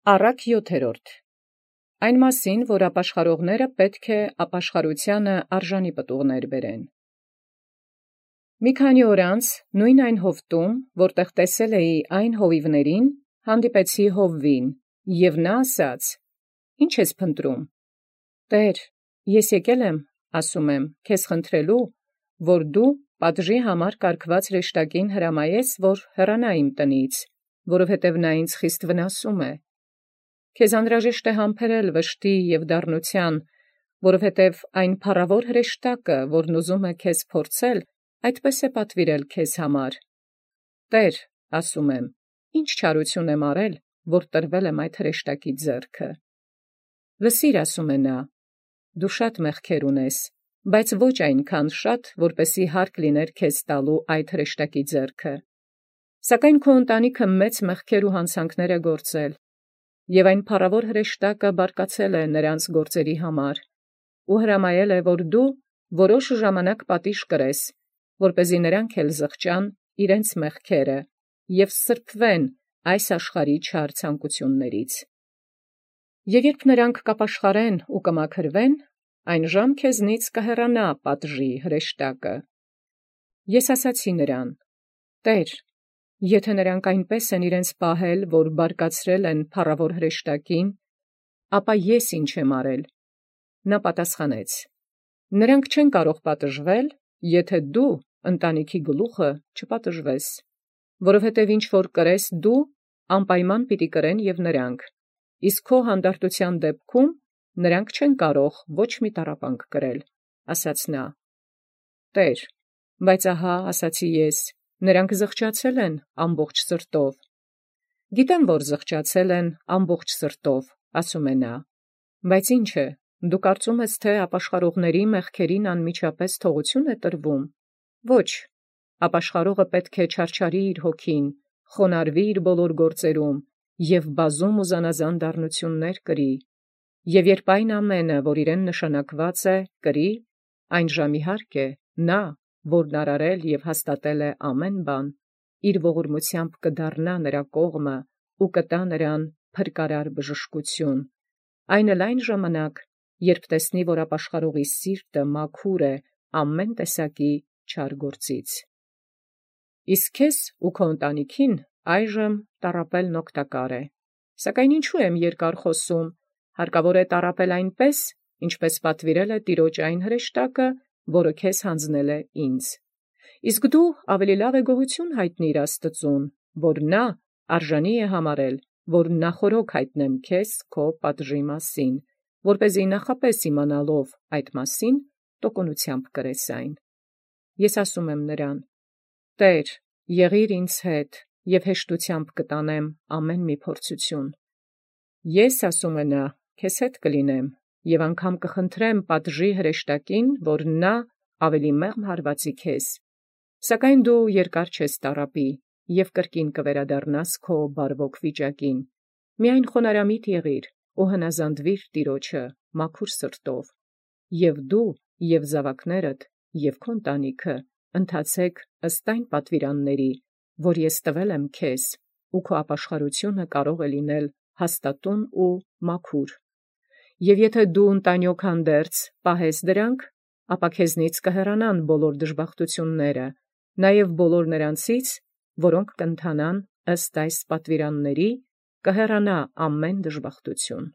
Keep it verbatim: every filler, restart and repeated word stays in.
Առակ յոթերորդ. Այն մասին, որ ապաշխարողները պետք է ապաշխարութեանը արժանի պտուղներ բերեն։ Մի քանի օր անց նույն այն հովտում, որտեղ տեսել էի այն հովիվներին, հանդիպեցի հովվին, և նա ասաց. «Ի՞նչ ես փնտրում»։ «Տէր, ես եկել եմ, ասում եմ, քեզ խնդրելու, որ դու պատժի համար կարգված հրեշտակին հրամայես, որ հեռանա իմ տնից, որովհետև նա ինձ խիստ վնասում է։ Քեզ անհրաժեշտ է համբերել վշտի և դառնութեան, որովհետև այն փառավոր հրեշտակը, որն ուզում է քեզ փորձել, այդպես է պատվիրել քեզ համար։ Տէր, ասում եմ, ի՞նչ չարություն եմ արել, որ տրվել եմ այդ հրեշտակի ձեռքը։ Լսիր, ասում է նա, դու շատ մեղքեր ունես, բայց ոչ այնքան շատ, որպեսզի հարկ լիներ քեզ տալու այդ հրեշտակի ձեռքը։ Սակայն քո ընտանիքը մեծ մեղքեր ու հանցանքներ է գործել, և այն փառավոր հրեշտակը բարկացել է նրանց գործերի համար, ու հրամայել է, որ դու որոշ ժամանակ պատիժ կրես, որպեսզի նրանք էլ զղջան իրենց մեղքերը և սրբվեն այս աշխարհի չար ցանկություններից։ Եվ երբ նրանք կապաշխարեն ու կմաքրվեն, այն ժամ քեզնից կհեռանա պատժի հրեշտակը։ Ես ասացի նրան. «Տէր, եթե նրանք այնպես են իրենց պահել, որ բարկացրել են փառավոր հրեշտակին, ապա ես ի՞նչ եմ արել»։ Նա պատասխանեց. «Նրանք չեն կարող պատժվել, եթե դու ընտանիքի գլուխը չպատժվես, որովհետև ինչ որ կրես դու, անպայման պիտի կրեն և նրանք, իսկ քո հանդարտութեան դեպքում նրանք չեն կարող ոչ մի տառապանք կրել», ասաց նա։ «Տէր, բայց ահա ասացի ես, նրանք զղջացել են ամբողջ սրտով»։ «Գիտեմ, որ զղջացել են ամբողջ սրտով», ասում է նա, «բայց ի՞նչ է, դու կարծում ես, թե ապաշխարողների մեղքերին անմիջապես թողություն է տրվում։ Ոչ, ապաշխարողը պետք է չարչարի իր հոգին, խոնարհվի իր բոլոր գործերում և բազում ու զանազան դառնություններ կրի, և երբ այն ամենը, որ իրեն նշանակված է, կրի, այն ժամ իհարկե նա, որն արարել և հաստատել է ամեն բան, իր ողորմությամբ կդառնա նրա կողմը ու կտա նրան փրկարար բժշկություն, այն էլ այն ժամանակ, երբ տեսնի, որ ապաշխարողի սիրտը մաքուր է ամեն տեսակի չար գործից։ Իսկ քեզ ու քո ընտանիքին այժմ տառապելն օգտակար է։ Սակայն ինչու եմ երկար խոսում, հարկավոր է տառապել այնպես, ինչպես պատվիրել է Տիրոջ այն հրեշտակը, որը քեզ հանձնել է ինձ։ Իսկ դու ավելի լավ է գոհություն հայտնիր Աստծուն, որ նա արժանի է համարել, որ նախօրոք հայտնեմ քեզ քո պատժի մասին, որպեսզի նախապես իմանալով այդ մասին, տոկունությամբ կրես այն։ Ես ասում եմ նրան. «Տէր, եղիր ինձ հետ, և հեշտությամբ կտանեմ ամեն մի փորձություն»։ Ես, ասում է նա, քեզ հետ կլինեմ, և անգամ կխնդրեմ պատժի հրեշտակին, որ նա ավելի մեղմ հարվածի քեզ, սակայն դու երկար չես տառապի և կրկին կվերադառնաս քո բարվոք վիճակին. միայն խոնարհամիտ եղիր ու հնազանդվիր Տիրոջը մաքուր սրտով, և դու և զաւակներդ և քո ընտանիքը ընթացեք ըստ այն պատվիրանների, որ ես տվել եմ քեզ, ու քո ապաշխարությունը կարող է լինել հաստատուն ու մաքուր։ Եվ եթե դու ընտանիոք հանդերձ պահես դրանք, ապա քեզնից կհեռանան բոլոր դժբախտությունները, նաև բոլոր նրանցից, որոնք կընթանան ըստ այս պատվիրանների, կհեռանա ամեն դժբախտություն։